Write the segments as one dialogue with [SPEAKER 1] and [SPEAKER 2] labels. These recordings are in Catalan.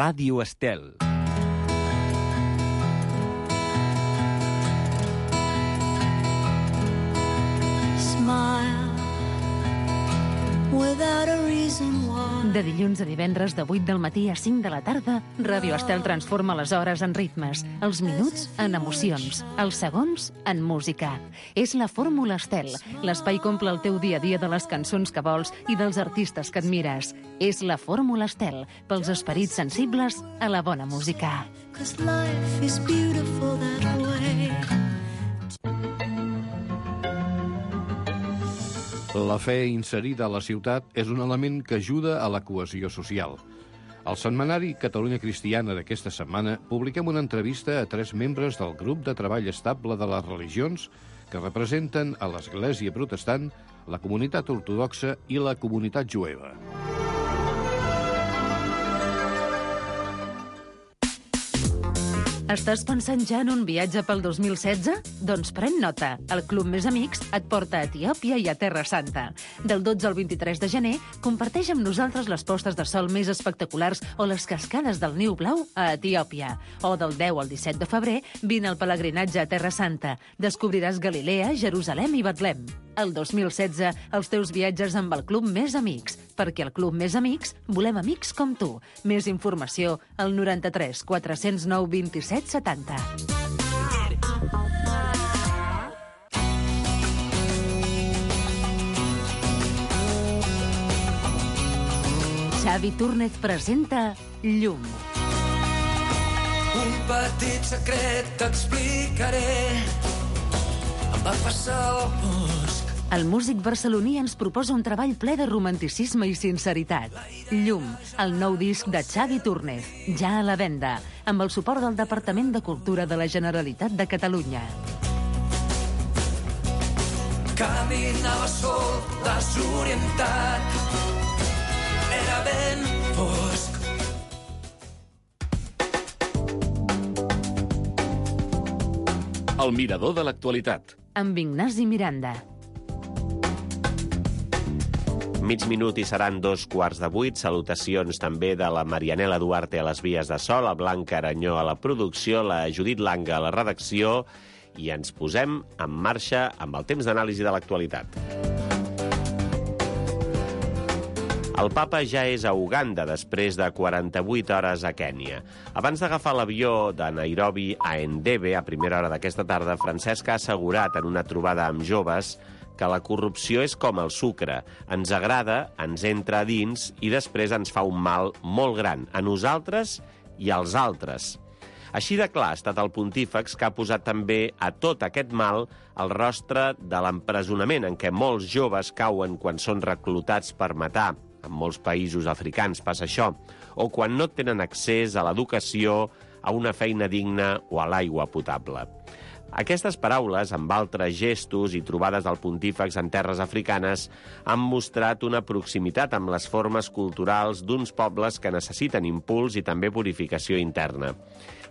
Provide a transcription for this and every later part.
[SPEAKER 1] Ràdio Estel.
[SPEAKER 2] De dilluns a divendres de 8 del matí a 5 de la tarda, Ràdio Estel transforma les hores en ritmes, els minuts en emocions, els segons en música. És la Fórmula Estel, l'espai que omple el teu dia a dia de les cançons que vols i dels artistes que admires. És la Fórmula Estel, pels esperits sensibles a la bona música.
[SPEAKER 3] La fe inserida a la ciutat és un element que ajuda a la cohesió social. Al setmanari Catalunya Cristiana d'aquesta setmana publiquem una entrevista a 3 membres del grup de treball estable de les religions que representen a l'Església Protestant, la comunitat ortodoxa i la comunitat jueva.
[SPEAKER 2] Estàs pensant ja en un viatge pel 2016? Doncs pren nota. El Club Més Amics et porta a Etiòpia i a Terra Santa. Del 12 al 23 de gener, comparteix amb nosaltres les postes de sol més espectaculars o les cascades del Niu Blau a Etiòpia. O del 10 al 17 de febrer, vine al pelegrinatge a Terra Santa. Descobriràs Galilea, Jerusalem i Betlem. El 2016, els teus viatges amb el Club Més Amics. Perquè al Club Més Amics volem amics com tu. Més informació al 93 409 27 70. Xavi Túrnez presenta Llum.
[SPEAKER 4] Un petit secret t'explicaré. Em va passar al bosc.
[SPEAKER 2] El músic barceloní ens proposa un treball ple de romanticisme i sinceritat. Llum, el nou disc de Xavi Túrnez, ja a la venda, amb el suport del Departament de Cultura de la Generalitat de Catalunya.
[SPEAKER 4] Caminava sol, desorientat. Era ben fosc.
[SPEAKER 5] El mirador de l'actualitat.
[SPEAKER 2] Amb Ignasi Miranda.
[SPEAKER 6] Mig minut i seran 7:15. Salutacions també de la Marianela Duarte a les vies de so, la Blanca Aranyó a la producció, la Judit Langa a la redacció, i ens posem en marxa amb el temps d'anàlisi de l'actualitat. El papa ja és a Uganda després de 48 hores a Kènia. Abans d'agafar l'avió de Nairobi a Entebbe a primera hora d'aquesta tarda, Francesc ha assegurat en una trobada amb joves que la corrupció és com el sucre. Ens agrada, ens entra a dins i després ens fa un mal molt gran, a nosaltres i als altres. Així de clar ha estat el pontífex, que ha posat també a tot aquest mal el rostre de l'empresonament en què molts joves cauen quan són reclutats per matar. En molts països africans passa això. O quan no tenen accés a l'educació, a una feina digna o a l'aigua potable. Aquestes paraules, amb altres gestos i trobades del pontífex en terres africanes, han mostrat una proximitat amb les formes culturals d'uns pobles que necessiten impuls i també purificació interna.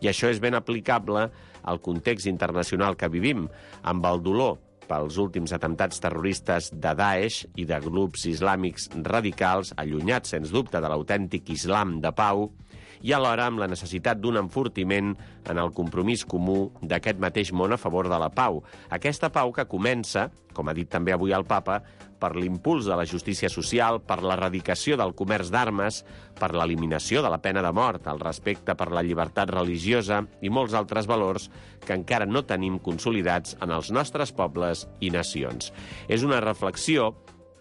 [SPEAKER 6] I això és ben aplicable al context internacional que vivim, amb el dolor pels últims atemptats terroristes de Daesh i de grups islàmics radicals, allunyats, sens dubte, de l'autèntic islam de pau, i alhora amb la necessitat d'un enfortiment en el compromís comú d'aquest mateix món a favor de la pau. Aquesta pau que comença, com ha dit també avui el papa, per l'impuls de la justícia social, per l'erradicació del comerç d'armes, per l'eliminació de la pena de mort, el respecte per la llibertat religiosa i molts altres valors que encara no tenim consolidats en els nostres pobles i nacions. És una reflexió,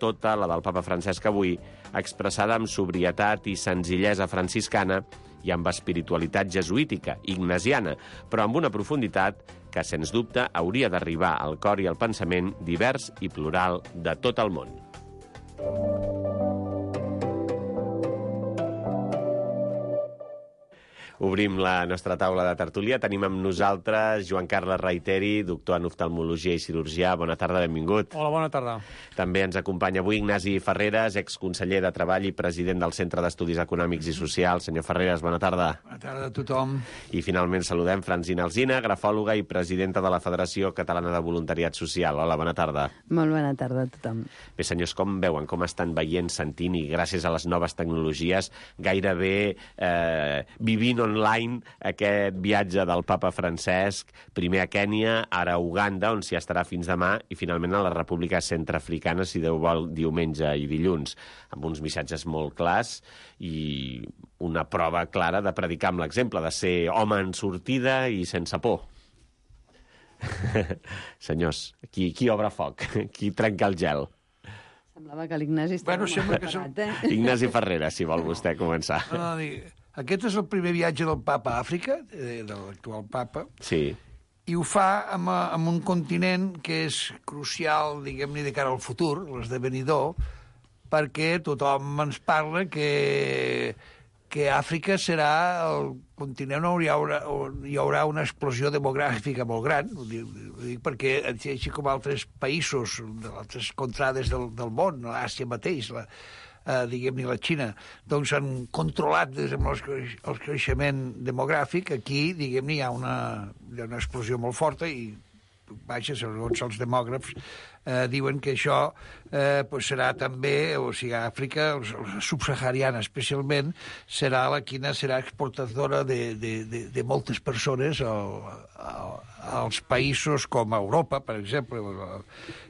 [SPEAKER 6] tota la del papa Francesc avui, expressada amb sobrietat i senzillesa franciscana i amb espiritualitat jesuítica, ignasiana, però amb una profunditat que, sens dubte, hauria d'arribar al cor i al pensament divers i plural de tot el món. Obrim la nostra taula de tertúlia. Tenim amb nosaltres Joan Carles Reiteri, doctor en oftalmologia i cirurgià. Bona tarda, benvingut.
[SPEAKER 1] Hola, bona tarda.
[SPEAKER 6] També ens acompanya avui Ignasi Ferreres, exconseller de Treball i president del Centre d'Estudis Econòmics i Socials. Senyor Ferreres, bona tarda.
[SPEAKER 1] Bona tarda a tothom.
[SPEAKER 6] I finalment saludem Francina Alsina, grafòloga i presidenta de la Federació Catalana de Voluntariat Social. Hola, bona tarda.
[SPEAKER 7] Molt bona tarda a tothom.
[SPEAKER 6] Bé, senyors, com veuen, com estan veient, sentint i gràcies a les noves tecnologies gairebé vivint online aquest viatge del papa Francesc, primer a Kènia, ara a Uganda, on s'hi estarà fins demà, i finalment a la República Centreafricana, si Déu vol, diumenge i dilluns, amb uns missatges molt clars i una prova clara de predicar amb l'exemple, de ser home en sortida i sense por. Senyors, qui obre foc? Qui trenca el gel?
[SPEAKER 7] Semblava que l'Ignasi estava molt preparat,
[SPEAKER 6] Ignasi Ferreres, si vol vostè començar.
[SPEAKER 1] Aquest és el primer viatge del papa a Àfrica, de l'actual papa,
[SPEAKER 6] Sí.
[SPEAKER 1] i ho fa amb un continent que és crucial, diguem-ne, de cara al futur, l'esdevenidor, perquè tothom ens parla que Àfrica serà el continent on hi haurà una explosió demogràfica molt gran, ho dic perquè, així com altres països, altres contrades del món, l'Àsia mateix, diguem-ne la Xina, doncs han controlat el creixement demogràfic. Aquí, diguem-ne, hi ha una explosió molt forta i, vaja, segons els demògrafs, diuen que això serà també, o sigui, Àfrica, la subsahariana especialment, serà la quina serà exportadora de moltes persones als països com Europa, per exemple,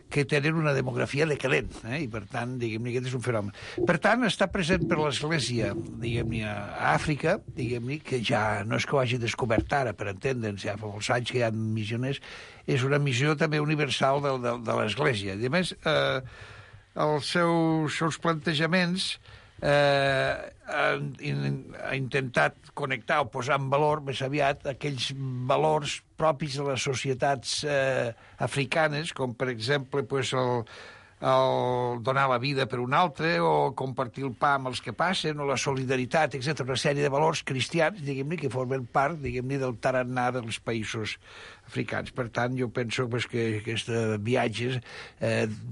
[SPEAKER 1] que tenen una demografia decadent, i per tant, diguem-ne, aquest és un fenomen. Per tant, està present per l'Església, diguem-ne, a Àfrica, diguem-ne, que ja no és que ho hagi descobert ara, per entendre'ns, ja fa molts anys que hi ha missioners, és una missió també universal de l'Església. I a més, els seus plantejaments ha intentat connectar o posar en valor més aviat aquells valors propis de les societats africanes, com per exemple el donar la vida per un altre, o compartir el pa amb els que passen, o la solidaritat, etc. Una sèrie de valors cristians, diguem-ne, que formen part, diguem-ne, del tarannà dels països africans. Per tant, jo penso que aquest viatge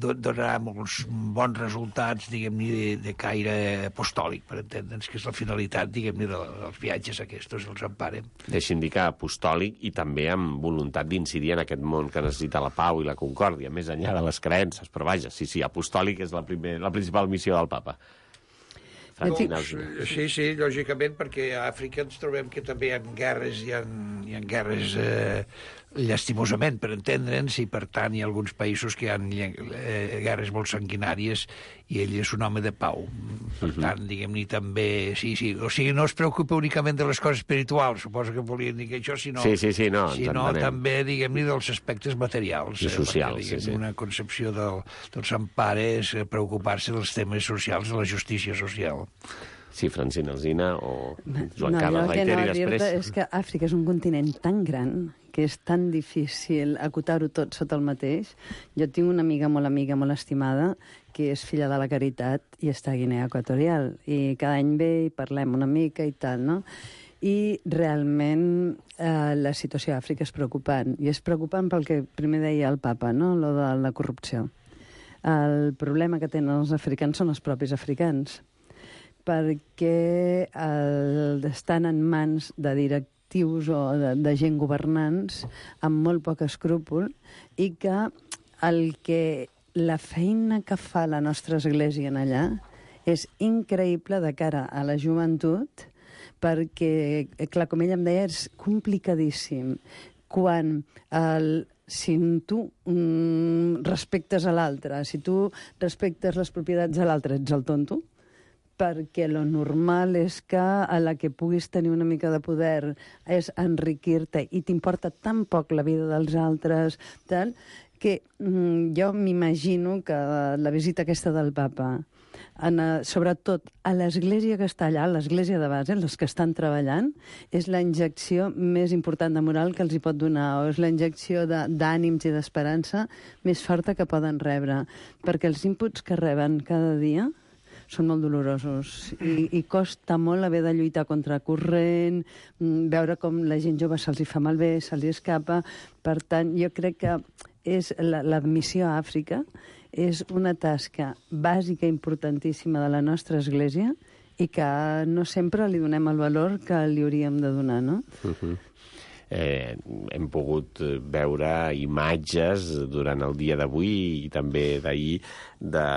[SPEAKER 1] donarà molts bons resultats, diguem-ne, de caire apostòlic, per entendre'ns, que és la finalitat, diguem-ne, dels viatges aquests, els emparen.
[SPEAKER 6] Deixi'm dir que apostòlic i també amb voluntat d'incidir en aquest món que necessita la pau i la concòrdia, més enllà de les creences, però vaja, sí, apostòlic és la principal missió del papa.
[SPEAKER 1] Sí, lògicament, perquè a Àfrica ens trobem que també hi ha guerres, hi ha guerres llastimosament, per entendre'ns, i per tant hi ha alguns països que hi ha guerres molt sanguinàries i ell és un home de pau. Per tant, diguem-ne, també... Sí, o sigui, no es preocupa únicament de les coses espirituals, suposo que volien dir que això, sinó també, diguem-ne, dels aspectes materials.
[SPEAKER 6] I socials,
[SPEAKER 1] perquè, una concepció del Sant Pare és preocupar-se dels temes socials, de la justícia social.
[SPEAKER 6] Sí, Francina Alsina o Joan Carles Reiteri després.
[SPEAKER 7] El que no dir-te és que Àfrica és un continent tan gran que és tan difícil acotar-ho tot sota el mateix. Jo tinc una amiga, molt estimada, que és filla de la Caritat i està a Guinea Equatorial. I cada any ve i parlem una mica i tal, no? I realment la situació a Àfrica és preocupant. I és preocupant pel que primer deia el papa, no? Lo de la corrupció. El problema que tenen els africans són els propis africans, perquè estan en mans de directius o de gent governants amb molt poc escrúpol, i que la feina que fa la nostra església en allà és increïble de cara a la joventut, perquè, clar, com ella em deia, és complicadíssim. Quan si tu respectes a l'altre, si tu respectes les propietats de l'altre, ets el tonto, perquè lo normal és que a la que puguis tenir una mica de poder és enriquir-te i t'importa tan poc la vida dels altres, tal, que jo m'imagino que la visita aquesta del papa, sobretot a l'església que està allà, l'església de base, els que estan treballant, és la injecció més important de moral que els hi pot donar, o és la injecció d'ànims i d'esperança més forta que poden rebre, perquè els inputs que reben cada dia són molt dolorosos i costa molt haver de lluitar contra corrent, veure com la gent jove se'ls hi fa malbé, se'ls hi escapa. Per tant, jo crec que l'admissió a Àfrica és una tasca bàsica importantíssima de la nostra Església i que no sempre li donem el valor que li hauríem de donar, no?
[SPEAKER 6] Hem pogut veure imatges durant el dia d'avui i també d'ahir de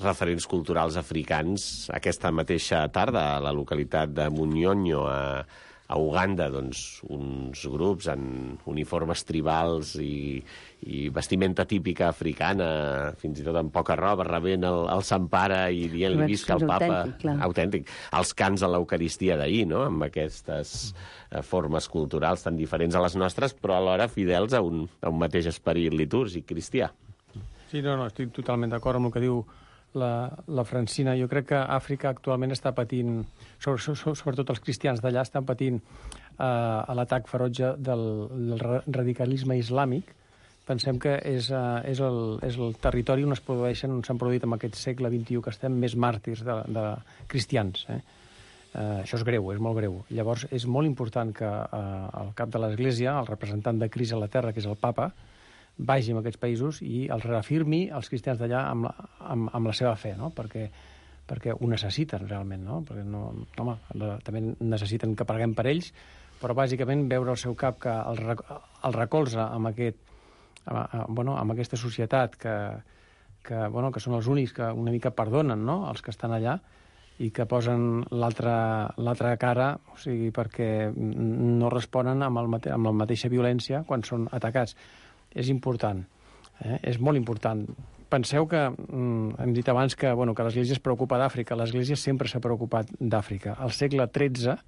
[SPEAKER 6] referents culturals africans aquesta mateixa tarda a la localitat de Munyonyo, a Uganda, doncs, uns grups en uniformes tribals i vestimenta típica africana, fins i tot amb poca roba, rebent el Sant Pare i dient-li visca el Papa. Autèntic. Els cants a l'Eucaristia d'ahir, no?, amb aquestes formes culturals tan diferents a les nostres, però alhora fidels a un mateix esperit litúrgic cristià.
[SPEAKER 8] Sí, no, estic totalment d'acord amb el que diu la Francina. Jo crec que Àfrica actualment està patint, sobretot els cristians d'allà, estan patint l'atac ferotge del radicalisme islàmic. Pensem que és el territori on s'han produït en aquest segle XXI que estem més màrtirs de cristians. Això és greu, és molt greu. Llavors és molt important que el cap de l'Església, el representant de Crist a la Terra, que és el Papa, vagi a aquests països i els reafirmi els cristians d'allà amb la seva fe, no? Perquè ho necessiten realment, no? Perquè també necessiten que preguem per ells, però bàsicament veure el seu cap que el recolza amb aquesta societat que són els únics que una mica perdonen, no?, els que estan allà, i que posen l'altra cara, o sigui, perquè no responen amb la mateixa violència quan són atacats. És important, és molt important. Penseu que, hem dit abans que l'Església es preocupa d'Àfrica. L'Església sempre s'ha preocupat d'Àfrica. Al segle XIII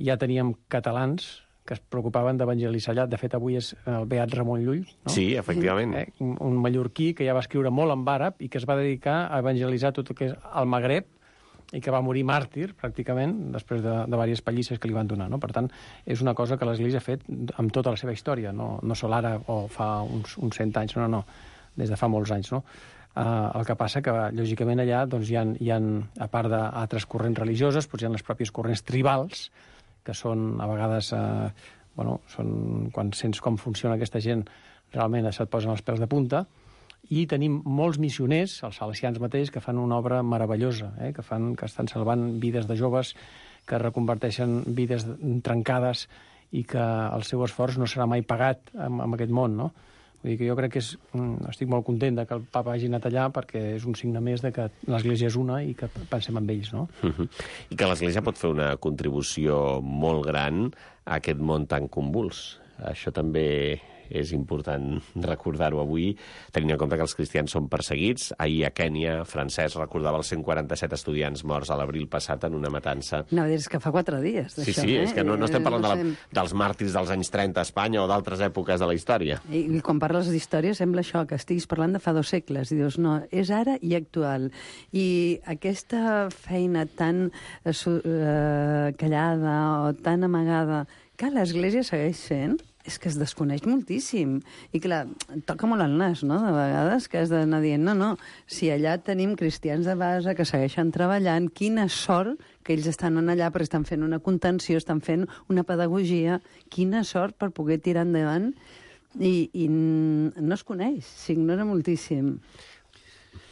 [SPEAKER 8] ja teníem catalans que es preocupaven d'evangelitzar allà. De fet, avui és el beat Ramon Llull, no?
[SPEAKER 6] Sí, efectivament.
[SPEAKER 8] Un mallorquí que ja va escriure molt en àrab i que es va dedicar a evangelitzar tot el que és el Magreb, i que va morir màrtir, pràcticament, després de diverses pallisses que li van donar, no? Per tant, és una cosa que l'Església ha fet amb tota la seva història, no sol ara o fa uns 100 anys, no, des de fa molts anys, no? El que passa que, lògicament, allà doncs, hi ha, a part d'altres corrents religioses, doncs hi ha les pròpies corrents tribals, que són, a vegades, quan sents com funciona aquesta gent, realment se't posen els pèls de punta. I tenim molts missioners, els salesians mateix, que fan una obra meravellosa, que estan salvant vides de joves, que reconverteixen vides trencades i que el seu esforç no serà mai pagat en aquest món, no? Vull dir que jo crec que estic molt content que el Papa hagi anat allà perquè és un signe més de que l'Església és una i que pensem en ells, no?
[SPEAKER 6] I que l'Església pot fer una contribució molt gran a aquest món tan convuls. Això també és important recordar-ho avui, tenint en compte que els cristians són perseguits. Ahir a Kènia, Francesc recordava els 147 estudiants morts a l'abril passat en una matança.
[SPEAKER 7] No, és que fa 4 dies, d'això.
[SPEAKER 6] Sí, és que no estem parlant dels màrtirs dels anys 30 a Espanya o d'altres èpoques de la història.
[SPEAKER 7] I quan parles d'història sembla això, que estiguis parlant de fa 2 segles. I dius, no, és ara i actual. I aquesta feina tan callada o tan amagada que l'Església segueix fent, és que es desconeix moltíssim. I clar, toca molt el nas, no?, de vegades, que has d'anar dient, no, si allà tenim cristians de base que segueixen treballant, quina sort que ells estan allà perquè estan fent una contenció, estan fent una pedagogia, quina sort per poder tirar endavant, i no es coneix, s'ignora moltíssim.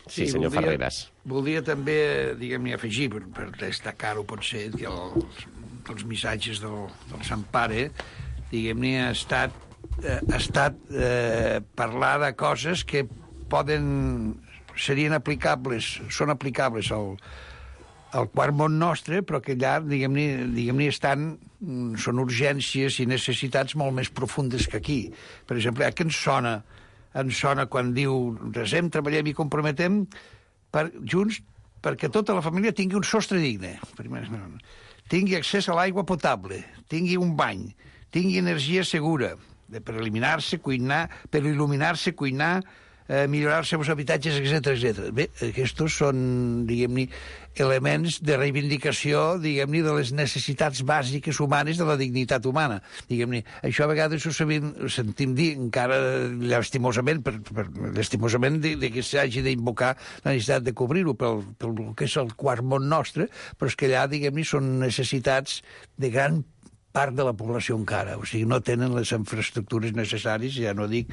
[SPEAKER 6] Sí, senyor Ferreras.
[SPEAKER 1] Voldria també, diguem-ne, afegir, per destacar-ho potser, que els missatges del Sant Pare, diguem-ne, ha estat parlar de coses que serien aplicables, són aplicables al quart món nostre, però que allà, diguem-ne, són urgències i necessitats molt més profundes que aquí. Per exemple, que ens sona quan diu resem, treballem i comprometem junts perquè tota la família tingui un sostre digne, tingui accés a l'aigua potable, tingui un bany, tingui energia segura per il·luminar-se, cuinar, millorar els seus habitatges, etc. Bé, aquests són, diguem-ne, elements de reivindicació, diguem-ne, de les necessitats bàsiques humanes, de la dignitat humana. Diguem-ne, això a vegades ho sentim dir encara llastimosament, lastimosament de que s'hagi d'invocar la necessitat de cobrir-ho pel que és el quart món nostre, però és que allà, diguem-ne, són necessitats de gran part de la població encara, o sigui, no tenen les infraestructures necessàries, ja no dic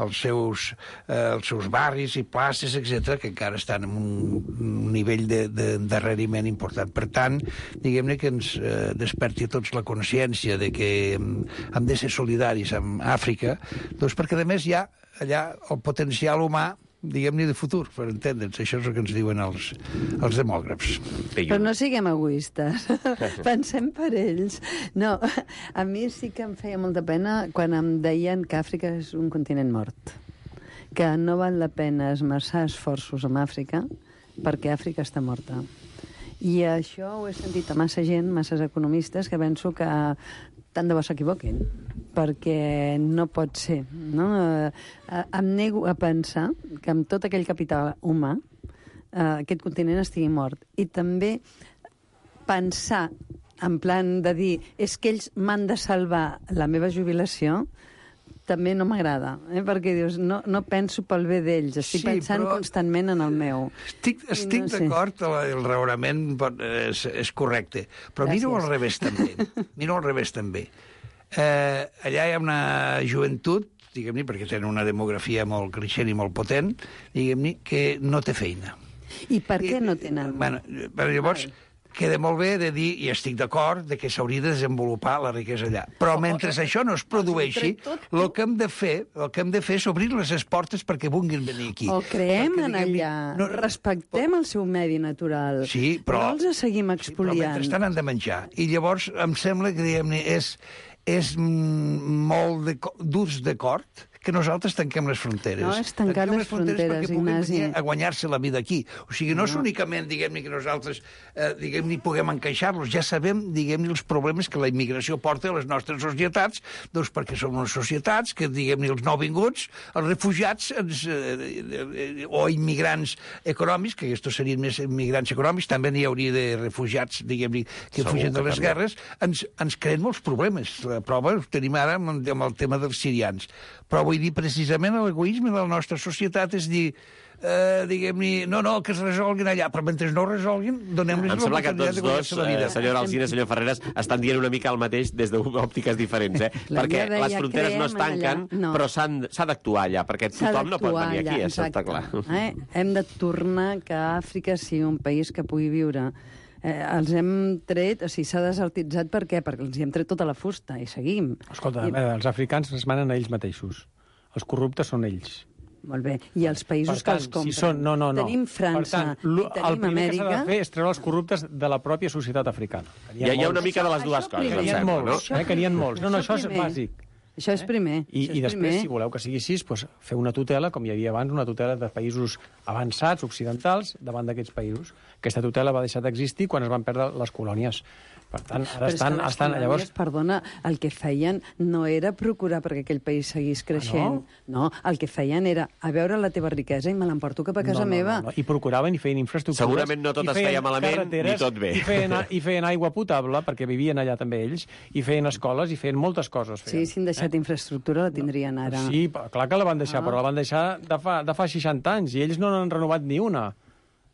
[SPEAKER 1] els seus barris i places, etc, que encara estan en un nivell d'endarreriment important. Per tant, diguem-ne que ens desperti a tots la consciència de que hem de ser solidaris amb Àfrica, doncs perquè, a més, hi ha allà el potencial humà, diguem-ne, de futur, per entendre'ns. Això és el que ens diuen els demògrafs.
[SPEAKER 7] Però no siguem egoistes. Pensem per ells. No, a mi sí que em feia molta pena quan em deien que Àfrica és un continent mort, que no val la pena esmerçar esforços en Àfrica perquè Àfrica està morta. I això ho he sentit a massa gent, masses economistes, que penso que tant de bo s'equivoquin, perquè no pot ser. No? Em nego a pensar que amb tot aquell capital humà aquest continent estigui mort. I també pensar, en plan de dir, és que ells m'han de salvar la meva jubilació, també no m'agrada, perquè dius, no penso pel bé d'ells, estic pensant constantment en el meu.
[SPEAKER 1] Estic d'acord, el raonament és correcte, però miro al revés també. Allà hi ha una joventut, diguem-ne, perquè tenen una demografia molt creixent i molt potent, diguem-ne, que no té feina.
[SPEAKER 7] I per què no tenen?
[SPEAKER 1] Bueno, llavors, queda molt bé de dir, i estic d'acord, de que s'hauria de desenvolupar la riquesa allà. Però mentre això no es produeixi, el que hem de fer és obrir les portes perquè vulguin venir aquí.
[SPEAKER 7] O creem en allà, respectem el seu medi natural,
[SPEAKER 1] sí, però
[SPEAKER 7] no els seguim expoliant.
[SPEAKER 1] Però mentrestant han de menjar. I llavors em sembla que, diguem-ne, és molt durs d'acord que nosaltres tanquem les fronteres.
[SPEAKER 7] No, és tancar les fronteres,
[SPEAKER 1] perquè puguin venir a guanyar-se la vida aquí. O sigui, no és únicament, diguem-ne, que nosaltres, diguem-ne, puguem encaixar-los. Ja sabem, diguem-ne, els problemes que la immigració porta a les nostres societats, doncs perquè són unes societats que, diguem-ne, els nouvinguts, els refugiats o immigrants econòmics, que aquests serien més immigrants econòmics, també n'hi hauria de refugiats, diguem-ne, que fugen de les guerres, ens creen molts problemes. La prova ho tenim ara amb el tema dels sirians. Però vull dir, precisament, l'egoisme de la nostra societat és dir, diguem-ne, no, que es resolguin allà, però mentre no resolguin, donem-los l'oportunitat de guanyar-se la vida.
[SPEAKER 6] Senyora Alsina, senyor Ferreras, estan dient una mica el mateix des d'òptiques diferents, perquè les fronteres no es tanquen, però s'ha d'actuar allà, perquè tothom no pot venir aquí, està clar.
[SPEAKER 7] Hem de tornar que Àfrica sigui un país que pugui viure. Els hem tret, o sigui, s'ha desertitzat per què? Perquè els hem tret tota la fusta i seguim.
[SPEAKER 8] Escolta, els africans es manen a ells mateixos. Els corruptes són ells.
[SPEAKER 7] Molt bé. I els països que els compren.
[SPEAKER 8] Si són, no.
[SPEAKER 7] Tenim França i tenim Amèrica.
[SPEAKER 8] El primer que s'ha de fer és treure els corruptes de la pròpia societat africana.
[SPEAKER 6] Hi ha una mica de les dues coses, em sembla, no?
[SPEAKER 8] Que n'hi ha molts. No, això és bàsic.
[SPEAKER 7] Això és primer.
[SPEAKER 8] I després, si voleu que sigui així, doncs, fer una tutela, com hi havia abans, una tutela de països avançats, occidentals, davant d'aquests països. Aquesta tutela va deixar d'existir quan es van perdre les colònies. Per tant, ara estan llavors...
[SPEAKER 7] Perdona, el que feien no era procurar perquè aquell país seguís creixent. No, el que feien era a veure la teva riquesa i me l'emporto cap a casa meva.
[SPEAKER 8] I procuraven i feien infraestructures.
[SPEAKER 6] Segurament no tot es feia malament, ni tot bé.
[SPEAKER 8] I feien aigua potable, perquè vivien allà també ells, i feien escoles, i feien moltes coses.
[SPEAKER 7] Sí, si han deixat infraestructura la tindrien ara.
[SPEAKER 8] Sí, clar que la van deixar, però la van deixar de fa 60 anys, i ells no n'han renovat ni una.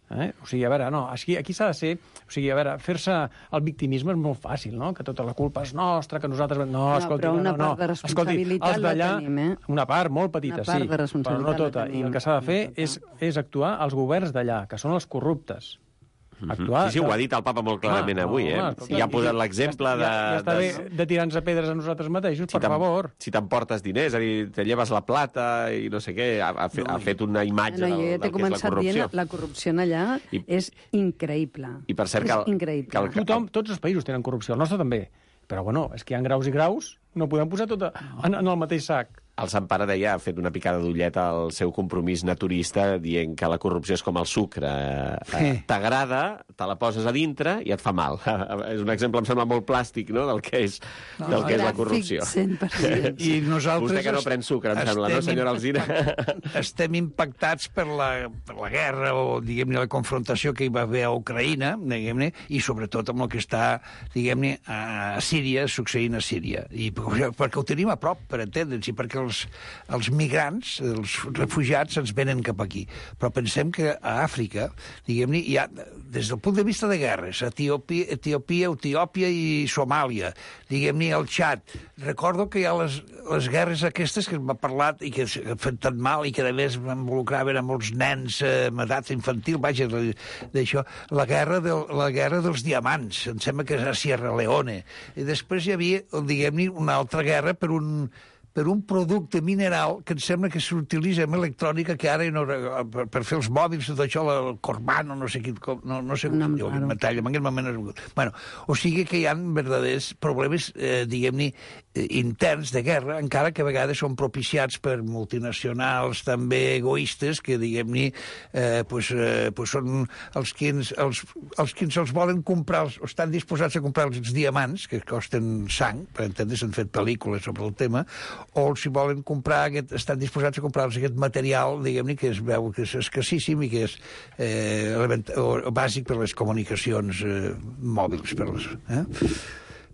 [SPEAKER 8] O sigui, a veure, no, aquí s'ha de ser... O sigui, a veure, fer-se el victimisme és molt fàcil, no? Que tota la culpa és nostra, que nosaltres... No, escolti,
[SPEAKER 7] però una part de responsabilitat la tenim,
[SPEAKER 8] Una part molt petita, sí, però no tota. I el que s'ha de fer és actuar als governs d'allà, que són els corruptes.
[SPEAKER 6] Sí, ho ha dit el papa molt clarament avui, I ha posat l'exemple de...
[SPEAKER 8] Ja està bé de tirar-nos a pedres a nosaltres mateixos, per favor.
[SPEAKER 6] Si t'emportes diners, és a dir, te lleves la plata i no sé què, ha fet una imatge del que és la corrupció. Jo t'he començat dient,
[SPEAKER 7] la corrupció allà és increïble.
[SPEAKER 6] I per cert que...
[SPEAKER 8] Tots els països tenen corrupció, el nostre també. Però, bueno, és que hi ha graus i graus, no podem posar tot en el mateix sac.
[SPEAKER 6] El Sant Pare deia, ha fet una picada d'ullet al seu compromís naturista, dient que la corrupció és com el sucre. T'agrada, te la poses a dintre i et fa mal. És un exemple, em sembla, molt plàstic, no?, del que és la corrupció.
[SPEAKER 7] 100%.
[SPEAKER 1] I nosaltres...
[SPEAKER 6] Vostè que no pren sucre, em sembla, no, senyora Alsina?
[SPEAKER 1] Estem impactats per la guerra o, diguem-ne, la confrontació que hi va haver a Ucraïna, diguem-ne, i sobretot amb el que està, diguem-ne, a Síria, succeint a Síria. I perquè ho tenim a prop, per entendre'ns, i perquè els migrants, els refugiats, ens venen cap aquí. Però pensem que a Àfrica, diguem-ne, hi ha, des del punt de vista de guerres, Etiòpia i Somàlia, diguem-ne, el Txad. Recordo que hi ha les guerres aquestes que m'ha parlat i que han fet tan mal i que, a més, involucraven a molts nens amb edat infantil, vaja, d'això. La guerra dels diamants, em sembla que és a Sierra Leone. I després hi havia, diguem-ne, una altra guerra per un producte mineral que em sembla que s'utilitza en electrònica, que ara per fer els mòbils, tot això, el Corban, no sé quin, no sé com diu, en aquest moment... Bueno, o sigui que hi ha verdaders problemes, diguem-ne, interns de guerra, encara que a vegades són propiciats per multinacionals també egoistes, que, diguem-ne, són els que ens volen comprar, o estan disposats a comprar els diamants, que costen sang, per entendre, s'han fet pel·lícules sobre el tema, o si volen comprar, estan disposats a comprar-los aquest material, diguem-ne, que es veu que és escassíssim i que és bàsic per les comunicacions mòbils.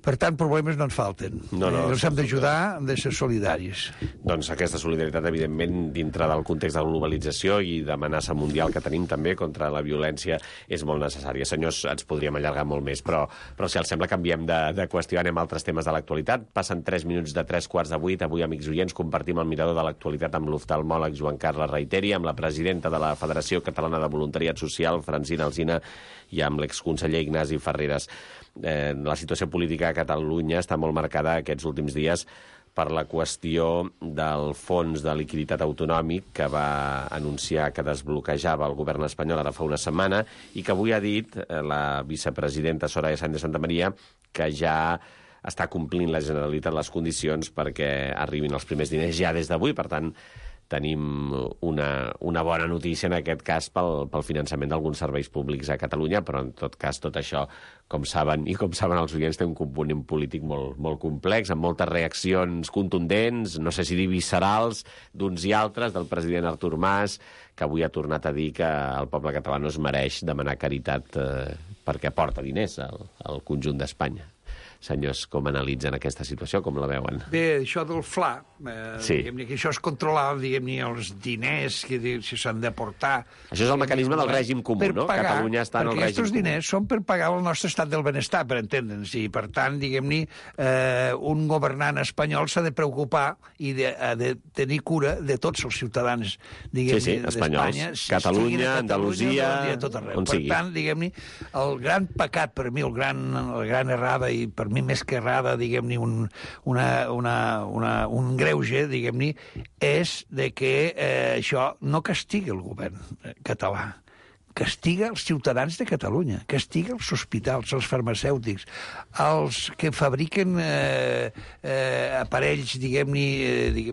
[SPEAKER 1] Per tant, problemes no en falten. Els hem d'ajudar, hem de ser solidaris.
[SPEAKER 6] Doncs aquesta solidaritat, evidentment, dintre del context de la globalització i d'amenaça mundial que tenim també contra la violència, és molt necessària. Senyors, ens podríem allargar molt més, però si els sembla, canviem de qüestió, anem a altres temes de l'actualitat. Passen 3 minuts de 7:45. Avui, amics oients, compartim el mirador de l'actualitat amb l'oftalmòleg Joan Carles Reiteri, amb la presidenta de la Federació Catalana de Voluntariat Social, Francina Alsina, i amb l'exconseller Ignasi Ferreres. La situació política a Catalunya està molt marcada aquests últims dies per la qüestió del fons de liquiditat autonòmic que va anunciar que desbloquejava el govern espanyol ara fa una setmana i que avui ha dit la vicepresidenta Soraya Sáenz de Santamaría que ja està complint la Generalitat les condicions perquè arribin els primers diners ja des d'avui. Per tant, tenim una bona notícia en aquest cas pel finançament d'alguns serveis públics a Catalunya, però en tot cas tot això, com saben els oients, té un component polític molt complex, amb moltes reaccions contundents, no sé si dir viscerals, d'uns i altres, del president Artur Mas, que avui ha tornat a dir que el poble català no es mereix demanar caritat perquè aporta diners al conjunt d'Espanya. Senyors, com analitzen aquesta situació, com la veuen?
[SPEAKER 1] Bé, això del FLA,
[SPEAKER 6] diguem-ne
[SPEAKER 1] que això és controlar, diguem-ne, els diners que s'han d'aportar.
[SPEAKER 6] Això és el mecanisme del règim comú, no? Catalunya està en el règim comú.
[SPEAKER 1] Perquè aquests diners són per pagar el nostre estat del benestar, per entendre'ns, i per tant, diguem-ne, un governant espanyol s'ha de preocupar i ha de tenir cura de tots els ciutadans, diguem-ne, d'Espanya.
[SPEAKER 6] Catalunya, Andalusia, on sigui.
[SPEAKER 1] Per tant, diguem-ne, el gran pecat per mi, la gran errada, i per mi més que errada, diguem-ne, un greuge, diguem-ne, és de que això no castiga el govern català, castiga els ciutadans de Catalunya, castiga els hospitals, els farmacèutics, els que fabriquen aparells, diguem-ne,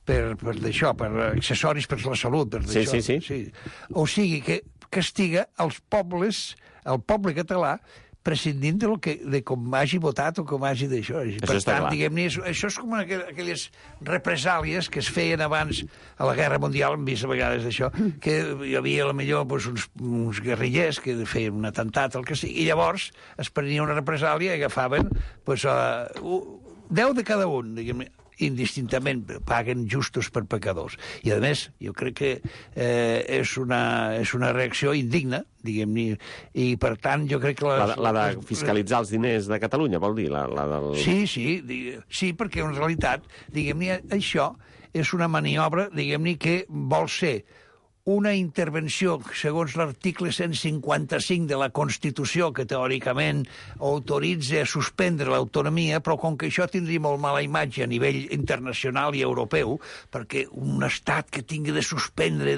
[SPEAKER 1] per d'això, per accessoris per la salut.
[SPEAKER 6] Sí.
[SPEAKER 1] O sigui, que castiga els pobles, el poble català, prescindint de com hagi votat o com hagi d'això. Per tant, diguem-ne, això és com aquelles represàlies que es feien abans a la Guerra Mundial, hem vist a vegades això, que hi havia potser uns guerrillers que feien un atemptat, el que sigui, i llavors es prenia una represàlia i agafaven 10 de cada un, diguem-ne, indistintament, paguen justos per pecadors. I, a més, jo crec que és una reacció indigna, diguem-ne, i, per tant, jo crec que...
[SPEAKER 6] La de fiscalitzar els diners de Catalunya, vol dir?
[SPEAKER 1] Sí, perquè en realitat, diguem-ne, això és una maniobra, diguem-ne, que vol ser una intervenció, segons l'article 155 de la Constitució, que teòricament autoritza a suspendre l'autonomia, però com que això tindria molt mala imatge a nivell internacional i europeu, perquè un estat que tingui de suspendre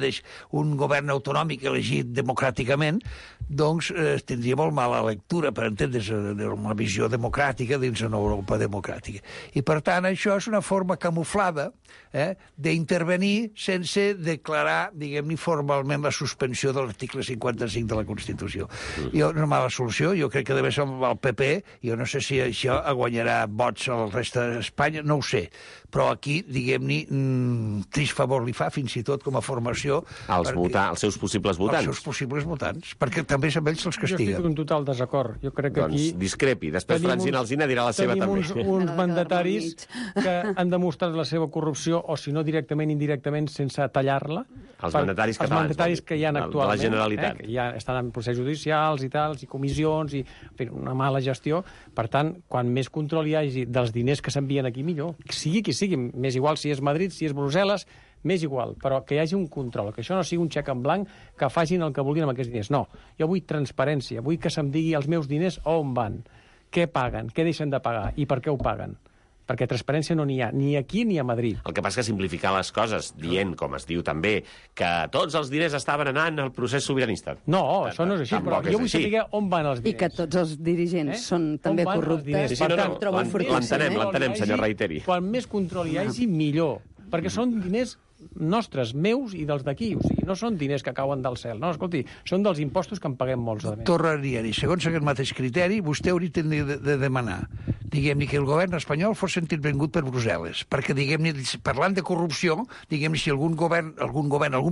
[SPEAKER 1] un govern autonòmic elegit democràticament, doncs tindria molt mala lectura, per entendre's, una visió democràtica dins una Europa democràtica. I, per tant, això és una forma camuflada d'intervenir sense declarar, diguem-ne, formalment la suspensió de l'article 55 de la Constitució. Una mala solució, jo crec que deve ser el PP, jo no sé si això guanyarà vots al reste d'Espanya, no ho sé, però aquí, diguem-ne, trist favor li fa, fins i tot com a formació...
[SPEAKER 6] als seus possibles votants.
[SPEAKER 1] Els seus possibles votants, perquè també és amb ells els castiguen.
[SPEAKER 8] Jo estic en total desacord. Jo crec que aquí...
[SPEAKER 6] Doncs discrepi. Després Francina Alsina dirà la seva també.
[SPEAKER 8] Tenim uns mandataris que han demostrat la seva corrupció, o si no directament, indirectament, sense tallar-la.
[SPEAKER 6] Els mandataris catalans.
[SPEAKER 8] Els mandataris que hi ha actualment.
[SPEAKER 6] De la Generalitat.
[SPEAKER 8] Que ja estan en processos judicials i tals, i comissions, i una mala gestió. Per tant, quan més control hi hagi dels diners que s'envien aquí, millor. Sigui qui sigui, més igual si és Madrid, si és Brussel·les, més igual, però que hi hagi un control, que això no sigui un xec en blanc, que facin el que vulguin amb aquests diners. No, jo vull transparència, vull que se'm digui els meus diners on van, què paguen, què deixen de pagar i per què ho paguen. Perquè transparència no n'hi ha, ni aquí ni a Madrid.
[SPEAKER 6] El que passa és que simplificar les coses, dient, com es diu també, que tots els diners estaven anant al procés sobiranista.
[SPEAKER 8] No, això no és així, però jo vull saber on van els diners.
[SPEAKER 7] I que tots els dirigents són també corruptes.
[SPEAKER 6] Sí, l'entenem, senyor Reiteri.
[SPEAKER 8] Quan més control hi hagi, millor. Perquè són diners nostres, meus i dels d'aquí. O sigui, no són diners que cauen del cel. No, escolti, són dels impostos que en paguem molts.
[SPEAKER 1] Tornaria-hi. Segons aquest mateix criteri, vostè hauria de demanar, diguem-ne, que el govern espanyol fos sentit benvingut per Brussel·les. Perquè, diguem-ne, parlant de corrupció, diguem-ne, si algun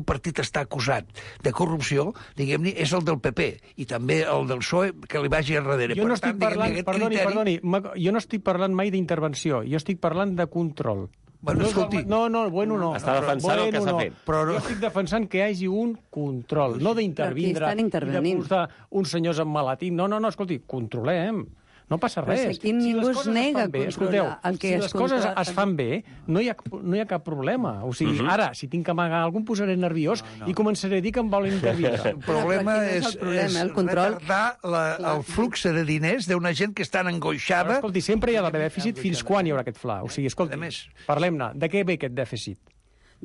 [SPEAKER 1] partit està acusat de corrupció, diguem-ne, és el del PP i també el del PSOE que li vagi enrere.
[SPEAKER 8] Jo no estic parlant, perdoni, jo no estic parlant mai d'intervenció, jo estic parlant de control.
[SPEAKER 1] Bueno, escolti...
[SPEAKER 8] No.
[SPEAKER 6] Està defensant el que s'ha fet.
[SPEAKER 8] Jo estic defensant que hi hagi un control, no d'intervindre i de posar uns senyors emmalatit. No, escolti, controlem. No passa res.
[SPEAKER 7] Però aquí ningú es nega a controlar el que es controla.
[SPEAKER 8] Si les coses es fan bé, no hi ha cap problema. O sigui, ara, si tinc que amagar algú, em posaré nerviós i començaré a dir que em volen intervindre.
[SPEAKER 1] El problema és retardar el flux de diners d'una gent que està angoixada.
[SPEAKER 8] Escolti, sempre hi ha d'haver dèficit. Fins quan hi haurà aquest fla? O sigui, escolti, parlem-ne. De què ve aquest dèficit?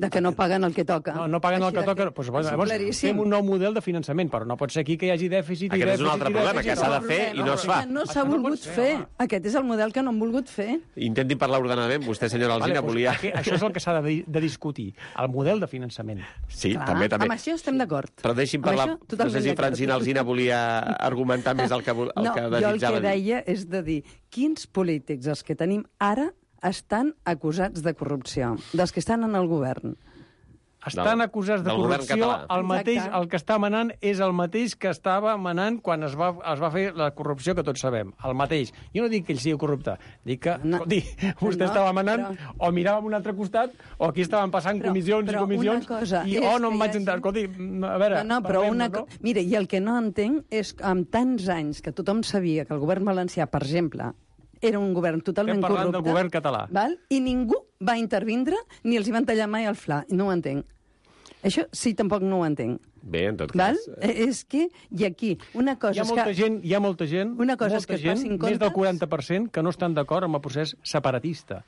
[SPEAKER 7] De que no paguen el que toca.
[SPEAKER 8] No paguen el que toca. Doncs, llavors, fem un nou model de finançament, però no pot ser aquí que hi hagi dèficit i dèficit.
[SPEAKER 6] Aquest és un altre problema, que s'ha de fer i no es fa.
[SPEAKER 7] No s'ha volgut fer. Aquest és el model que no han volgut fer.
[SPEAKER 6] Intentin parlar ordenadament. Vostè, senyora Alsina, volia...
[SPEAKER 8] Això és el que s'ha de discutir, el model de finançament.
[SPEAKER 6] Sí, també.
[SPEAKER 7] Amb això estem d'acord.
[SPEAKER 6] Però deixi'm parlar... No sé si Francina Alsina volia argumentar més el que desitjava.
[SPEAKER 7] No, jo el que deia és de dir quins polítics, els que tenim ara, estan acusats de corrupció, dels que estan en el govern.
[SPEAKER 8] Estan acusats de corrupció, el que està manant és el mateix que estava manant quan es va fer la corrupció que tots sabem, el mateix. Jo no dic que ell sigui corrupte, dic que, escolti, vostè estava manant, o mirava a un altre costat, o aquí estaven passant comissions i comissions, i no em vaig entrar. Escolti, a veure...
[SPEAKER 7] Mira, i el que no entenc és que amb tants anys que tothom sabia que el govern valencià, per exemple, era un govern totalment corrupte.
[SPEAKER 8] Estem parlant del govern català.
[SPEAKER 7] I ningú va intervindre ni els hi van tallar mai el fla. No ho entenc. Això sí, tampoc no ho entenc.
[SPEAKER 6] Bé, en tot cas...
[SPEAKER 7] És que, i aquí, una cosa
[SPEAKER 8] hi ha molta gent, més del 40%, que no estan d'acord amb el procés separatista.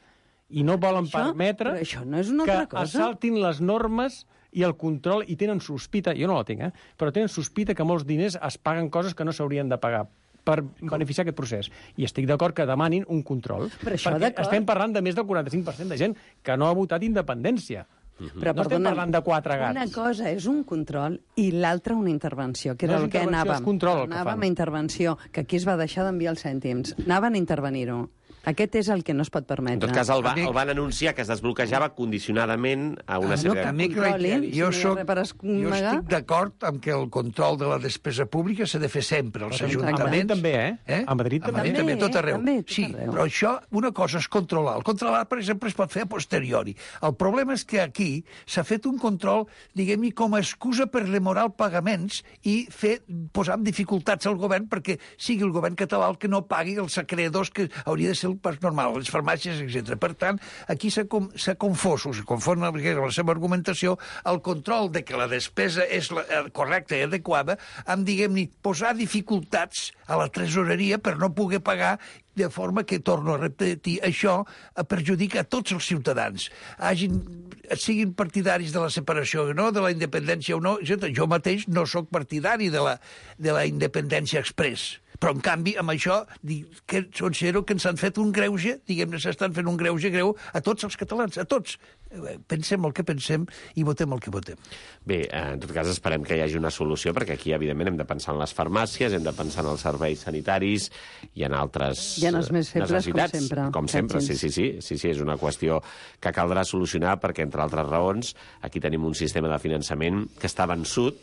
[SPEAKER 8] I no volen permetre que assaltin les normes i el control, i tenen sospita, jo no la tinc, però tenen sospita que molts diners es paguen coses que no s'haurien de pagar per beneficiar aquest procés. I estic d'acord que demanin un control. Perquè estem parlant de més del 45% de gent que no ha votat independència.
[SPEAKER 7] Però,
[SPEAKER 8] no estem parlant de 4 gats.
[SPEAKER 7] Una cosa és un control i l'altra una intervenció, que era el que anàvem. Anàvem a intervenció, que aquí es va deixar d'enviar els cèntims. Anaven a intervenir-ho. Aquest és el que no es pot permetre.
[SPEAKER 6] En tot cas, el van anunciar que es desbloquejava condicionadament a una sèrie
[SPEAKER 1] de... Jo estic d'acord amb que el control de la despesa pública s'ha de fer sempre. Els ajuntaments...
[SPEAKER 8] A Madrid també, A Madrid
[SPEAKER 1] també, tot arreu. Sí, però això, una cosa és controlar. El controlar, per exemple, es pot fer a posteriori. El problema és que aquí s'ha fet un control, diguem-ne, com a excusa per demorar els pagaments i posar en dificultats al govern perquè sigui el govern català el que no pagui els acreedors que hauria de ser el pas normal, les farmàcies, etc. Per tant, aquí s'ha confós, s'ha confon amb la seva argumentació, el control de que la despesa és correcta i adequada, amb, diguem-ne, posar dificultats a la tresoreria per no poder pagar, de forma que, torno a repetir, això perjudica a tots els ciutadans. Siguin partidaris de la separació o no, de la independència o no, etc. Jo mateix no sóc partidari de la independència express. Però, en canvi, amb això, considero que ens han fet un greuge, diguem-ne, s'estan fent un greuge greu a tots els catalans, a tots. Pensem el que pensem i votem el que votem.
[SPEAKER 6] Bé, en tot cas, esperem que hi hagi una solució, perquè aquí, evidentment, hem de pensar en les farmàcies, hem de pensar en els serveis sanitaris i en altres necessitats.
[SPEAKER 7] I en els més febles,
[SPEAKER 6] com sempre. Sí, és una qüestió que caldrà solucionar, perquè, entre altres raons, aquí tenim un sistema de finançament que està vençut.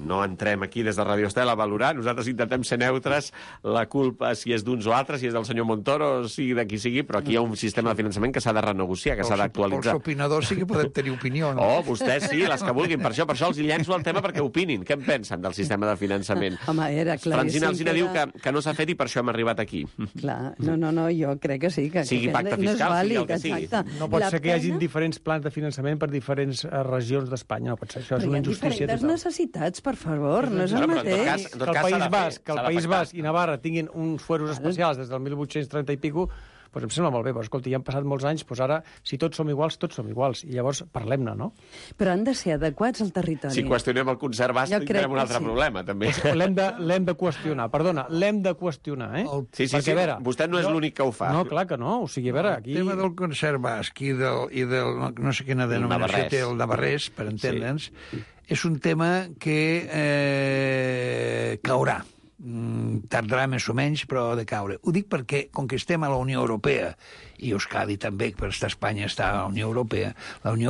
[SPEAKER 6] No entrem aquí des de Radio Estel a valorar, nosaltres intentem ser neutres, la culpa si és d'uns o altres, si és del senyor Montoro, o sigui de qui sigui, però aquí hi ha un sistema de finançament que s'ha de renegociar, que s'ha d'actualitzar.
[SPEAKER 1] Els opinadors sí que podem tenir opinió, no?
[SPEAKER 6] Oh, vostès sí, les que vulguin. Per això els llenço el tema perquè opinin. Què en pensen del sistema de finançament?
[SPEAKER 7] Home, era claríssim.
[SPEAKER 6] Francina Alsina diu que no s'ha fet i per això hem arribat aquí.
[SPEAKER 7] Clar, no, jo crec que sí.
[SPEAKER 6] Sigui pacte fiscal, sigui el que sigui.
[SPEAKER 8] No pot ser que hi hagi diferents plans de finançament per diferents regions d'Espanya. No pot ser, això és una injustícia
[SPEAKER 7] total. Però hi ha diferents necessitats, per favor, no és el mateix.
[SPEAKER 8] Que el País Basc i Navarra tinguin uns fueros especials des del 1830 i pico, doncs em sembla molt bé, però escolta, ja han passat molts anys, doncs ara, si tots som iguals, i llavors parlem-ne, no?
[SPEAKER 7] Però han de ser adequats al territori.
[SPEAKER 6] Si qüestionem el concert basc, tindrem un altre problema, també.
[SPEAKER 8] L'hem de qüestionar, l'hem de qüestionar, eh?
[SPEAKER 6] Sí, vostè no és l'únic que ho fa.
[SPEAKER 8] No, clar que no, o sigui, a veure, aquí...
[SPEAKER 1] El tema del concert basc i del no sé quina denominació té el navarrès, per entendre'ns, és un tema que caurà. Tardarà més o menys, però ha de caure. Ho dic perquè, com que estem a la Unió Europea, i Euskadi també, per estar a Espanya està a la Unió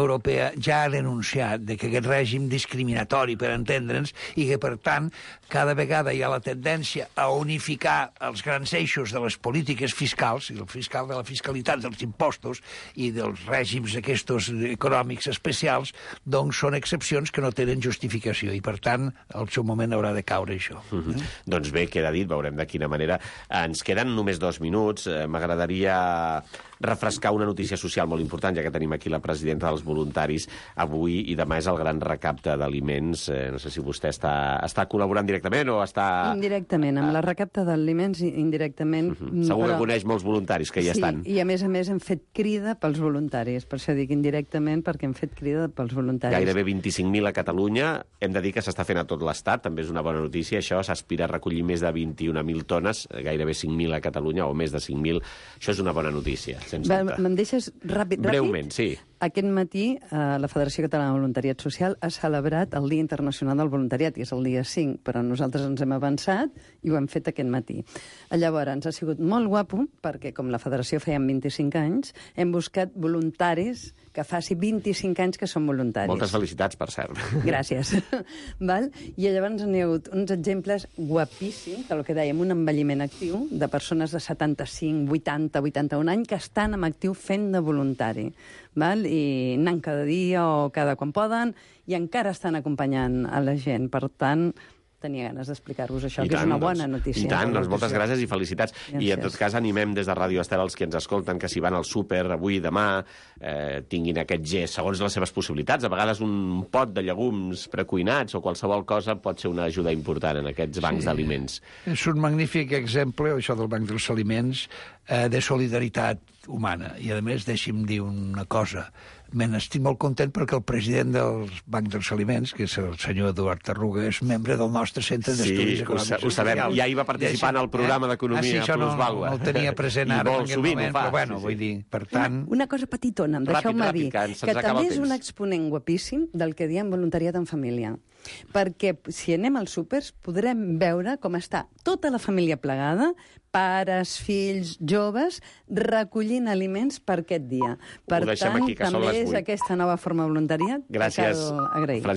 [SPEAKER 1] Europea ja ha denunciat que aquest règim discriminatori, per entendre'ns, i que, per tant, cada vegada hi ha la tendència a unificar els grans eixos de les polítiques fiscals, i de la fiscalitat dels impostos i dels règims aquests econòmics especials, doncs són excepcions que no tenen justificació, i, per tant, al seu moment haurà de caure això.
[SPEAKER 6] Doncs bé, queda dit, veurem de quina manera. Ens queden només 2 minuts. M'agradaria refrescar una notícia social molt important, ja que tenim aquí la presidenta dels voluntaris. Avui i demà és el gran recapte d'aliments. No sé si vostè està col·laborant directament o està...
[SPEAKER 7] Indirectament, amb la recapte d'aliments, indirectament.
[SPEAKER 6] Segur que coneix molts voluntaris que hi estan.
[SPEAKER 7] Sí, i a més hem fet crida pels voluntaris. Per això dic indirectament, perquè hem fet crida pels voluntaris.
[SPEAKER 6] Gairebé 25.000 a Catalunya. Hem de dir que s'està fent a tot l'Estat, també és una bona notícia. Això s'aspira a recollir més de 21.000 tones, gairebé 5.000 a Catalunya, o més de 5.000. Això és una bona notícia.
[SPEAKER 7] Me'n deixes ràpid?
[SPEAKER 6] Breument, sí.
[SPEAKER 7] Aquest matí la Federació Catalana de Voluntariat Social ha celebrat el Dia Internacional del Voluntariat, i és el dia 5, però nosaltres ens hem avançat i ho hem fet aquest matí. Llavors, ha sigut molt guapo, perquè com la Federació feia 25 anys, hem buscat voluntaris que faci 25 anys que són voluntaris.
[SPEAKER 6] Moltes felicitats, per cert.
[SPEAKER 7] Gràcies. Val? I llavors n'hi ha hagut uns exemples guapíssims, del que dèiem, un envelliment actiu de persones de 75, 80, 81 anys que estan en actiu fent de voluntari. Val? I anant cada dia o cada quan poden, i encara estan acompanyant a la gent. Per tant, tenia ganes d'explicar-vos això, que és una bona notícia.
[SPEAKER 6] I tant, doncs moltes gràcies i felicitats. I en tot cas animem des de Ràdio Estel els que ens escolten que si van al súper avui i demà tinguin aquest gest segons les seves possibilitats. A vegades un pot de llegums precuinats o qualsevol cosa pot ser una ajuda important en aquests bancs d'aliments.
[SPEAKER 1] És un magnífic exemple, això del Banc dels Aliments, de solidaritat humana. I, a més, deixi'm dir una cosa. Estic molt content perquè el president del Banc dels Aliments, que és el senyor Eduard Tarruga, és membre del nostre Centre d'Estudis Econòmics.
[SPEAKER 6] Sí, ho sabem. Ja hi va participar en el programa d'Economia Plusvàlua.
[SPEAKER 1] No el tenia present ara en aquest moment, però bueno, vull dir, per tant...
[SPEAKER 7] Una cosa petitona, deixeu-me dir, que també és un exponent guapíssim del que diem voluntariat en família. Perquè si anem als súpers podrem veure com està tota la família plegada, pares, fills, joves, recollint aliments per aquest dia. Per tant, també és aquesta nova forma de voluntariat que cal agrair.